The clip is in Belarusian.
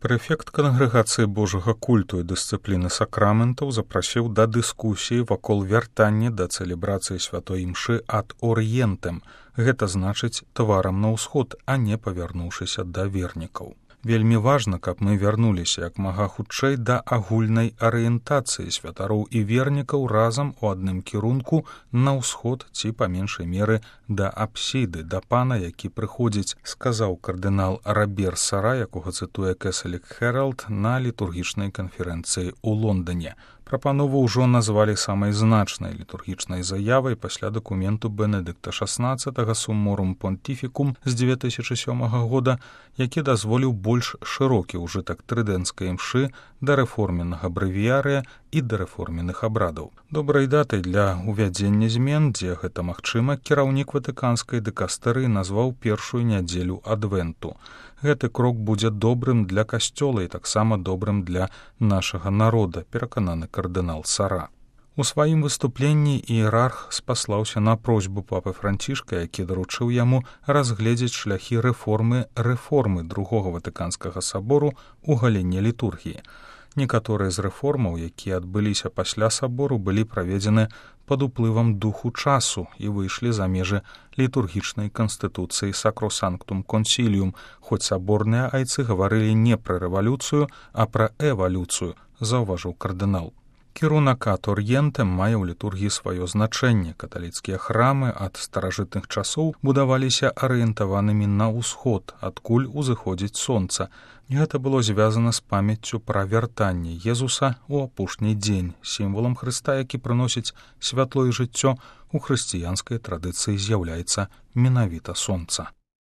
Прэфект Кангрэгацыі Божага культу і дысцыпліны сакраментаў запрасіў да дыскусіі вакол вяртання да цэлебрацыі святой імшы ад орыентам, гэта значыць тварам на ўсход, а не павярнуўшыся да вернікаў. Вельмі важна, каб мы вярнуліся як мага хутчэй да агульнай арыентацыі святароў і вернікаў разам у адным кірунку на ўсход ці, па меншай меры, да апсіды, да пана, які прыходзіць, сказаў кардынал Робер Сара, якога цытуе Кэсалік Хэралд на літургічнай канферэнцыі ў Лондоне. Прапанову ўжо назвалі самай значнай літургічнай заявай пасля дакументу Бенедыкта XVI Сумморум Понтифікум з 2007 года, які дазволіў больш шырокі ўжытак трыдэнцкай імшы да рэформеннага брэвіярыя і да рэформенных абрадаў. Добрай датай для ўвядзення змен, дзе гэта магчыма, кіраўнік ватыканскай дыкастэрыі назваў першую нядзелю адвенту. Гэты крок будзе добрым для касцёла і таксама добрым для нашага народа, перакананы кардынал Сара. У сваім выступленні іерарх спаслаўся на просьбу папы Францішка, які даручыў яму разгледзець шляхі рэформы другога ватыканскага сабору ў галіне літургіі. Некаторыя з рэформаў, якія адбыліся пасля сабору, былі праведзены пад уплывам духу часу і выйшлі за межы літургічнай канстытуцыі Сакросанктум Консіліум, хоць саборныя айцы гаварылі не пра рэвалюцыю, а пра эвалюцыю, заўважыў кардынал. Кірунак ад орыентам мае ў літургіі сваё значэнне. Каталіцкія храмы ад старажытных часоў будаваліся арыентаванымі на ўсход, адкуль узыходзіць сонца. Гэта было звязана з памяццю пра вяртанне Езуса ў апошні дзень, сімвалам Хрыста, які прыносіць святло і жыццё, у хрысціянскай традыцыі з'яўляецца менавіта сонца.